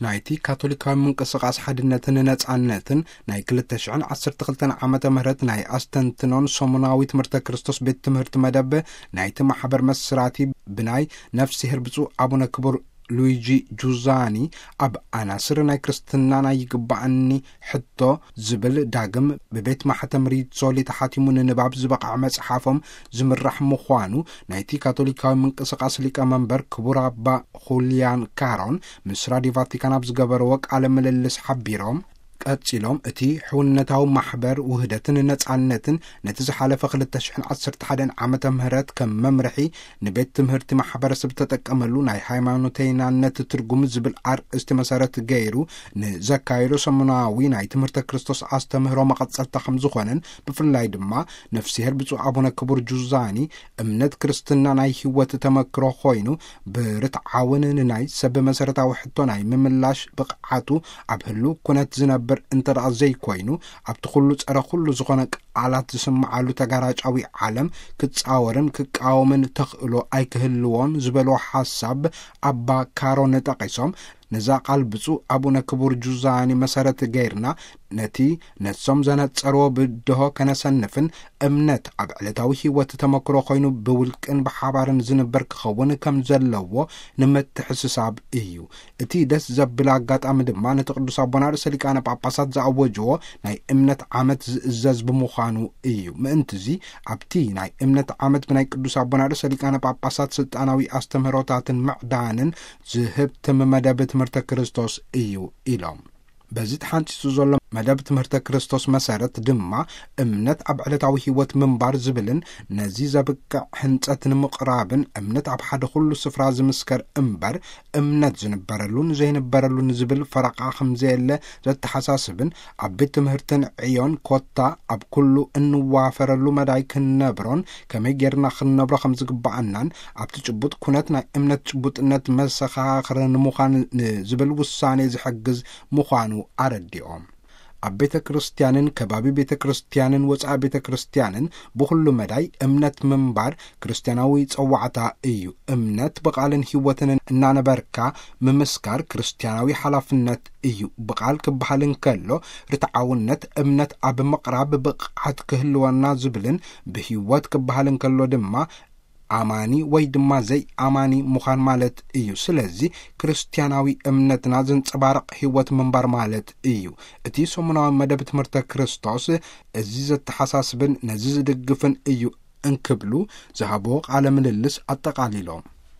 ናይቲ ካቶሊካዊ ምንቅስቓስ ሓድነትን ነጻነትን ናይ ክልተ ሽሕን ዓሰርተ ክልተን ዓመተ ምህረት ናይ ኣስተንትኖን ሰሙናዊ ትምህርተ ክርስቶስ ቤት ትምህርቲ መደብ ናይቲ ማሕበር መስራቲ ብናይ ነፍስሄር ብፁዕ ኣቡነ ክቡር ሉዊጂ ጁዛኒ ኣብ ኣናስር ናይ ክርስትና ናይ ይግባኣኒ ሕቶ ዝብል ዳግም ብቤት ማሕተም ሪሶሊ ተሓቲሙ ንንባብ ዝበቕዐ መጽሓፎም ዝምራሕ ምዃኑ ናይቲ ካቶሊካዊ ምንቅስቓስ ሊቀ መንበር ክቡር ኣባ ሁሊያን ካሮን ምስ ራዲዮ ቫቲካን ኣብ ዝገበርዎ ቃለ ምልልስ ሓቢሮም፣ ቀጺሎም እቲ ሕውነታዊ ማሕበር ውህደትን ነጻነትን ነቲ ዝሓለፈ ክልተ ሽሕን ዓሰርተ ሓደን ዓመተ ምህረት ከም መምርሒ ንቤት ትምህርቲ ማሕበረሰብ ተጠቀመሉ ናይ ሃይማኖተይናነት ትርጉም ዝብል ኣርእስቲ መሰረት ገይሩ ንዘካየዶ ሰሙናዊ ናይ ትምህርተ ክርስቶስ ኣስተምህሮ መቐጸልታ ከም ዝኾነን፣ ብፍላይ ድማ ነፍስሄር ብፁዕ ኣቡነ ክቡር ጁዛኒ እምነት ክርስትና ናይ ህይወት ተመክሮ ኮይኑ ብርትዓውን ንናይ ሰብ መሰረታዊ ሕቶ ናይ ምምላሽ ብቕዓቱ ኣብ ህሉ ኩነት ዝነብር እንተ ደኣ ዘይኮይኑ፣ ኣብቲ ኩሉ ጸረ ኩሉ ዝኾነ ቃላት ዝስምዓሉ ተጋራጫዊ ዓለም ክጻወርን ክቃወምን ተኽእሎ ኣይክህልዎን ዝበሎ ሓሳብ ኣባ ካሮን ጠቒሶም፣ ነዛ ቃል ብፁዕ ኣቡነ ክቡር ጁዛኒ መሰረት ገይርና ነቲ ነሶም ዘነጸርዎ ብድሆ ከነሰንፍን እምነት ኣብ ዕለታዊ ህይወት ተመክሮ ኮይኑ ብውልቅን ብሓባርን ዝንበር ክኸውን ከም ዘለዎ ንምትሕስሳብ እዩ። እቲ ደስ ዘብል ኣጋጣሚ ድማ ነቲ ቅዱስ ኣቦና ርእሰ ሊቃነ ጳጳሳት ዝኣወጅዎ ናይ እምነት ዓመት ዝእዘዝ ብምዃኑ እዩ። ምእንትዚ ኣብቲ ናይ እምነት ዓመት ብናይ ቅዱስ ኣቦና ርእሰ ሊቃነ ጳጳሳት ስልጣናዊ ኣስተምህሮታትን ምዕዳንን ዝህብ ትም መደብ ትምህርተ ክርስቶስ እዩ ኢሎም። በዚ ተሓንጺጹ ዘሎ መደብ ትምህርተ ክርስቶስ መሰረት ድማ እምነት ኣብ ዕለታዊ ህይወት ምንባር ዝብልን ነዚ ዘብቅዕ ህንጸት ንምቕራብን እምነት ኣብ ሓደ ኩሉ ስፍራ ዝምስከር እምበር እምነት ዝንበረሉን ዘይንበረሉን ዝብል ፈረቓ ከም ዘየለ ዘተሓሳስብን ኣብ ቤት ትምህርትን ዕዮን ኮታ ኣብ ኩሉ እንዋፈረሉ መዳይ ክንነብሮን ከመይ ጌርና ክንነብሮ ከም ዝግባኣናን ኣብቲ ጭቡጥ ኩነት ናይ እምነት ጭቡጥነት መሰኻኽር ንምዃን ንዝብል ውሳኔ ዝሕግዝ ምዃኑ ኣረዲኦም። ኣብ ቤተ ክርስቲያንን ከባቢ ቤተ ክርስቲያንን ወጻኢ ቤተ ክርስቲያንን ብኹሉ መዳይ እምነት ምንባር ክርስቲያናዊ ጸዋዕታ እዩ። እምነት ብቓልን ህይወትን እናነበርካ ምምስካር ክርስቲያናዊ ሓላፍነት እዩ። ብቓል ክበሃል እንከሎ ርትዓውነት እምነት ኣብ ምቕራብ ብቕዓት ክህልወና ዝብልን ብህይወት ክበሃል እንከሎ ድማ ኣማኒ ወይ ድማ ዘይኣማኒ ምዃን ማለት እዩ። ስለዚ ክርስቲያናዊ እምነትና ዘንጸባርቕ ህይወት ምንባር ማለት እዩ። እቲ ሰሙናዊ መደብ ትምህርተ ክርስቶስ እዚ ዘተሓሳስብን ነዚ ዝድግፍን እዩ እንክብሉ ዝሃብዎ ቃለ ምልልስ ኣጠቓሊሎም።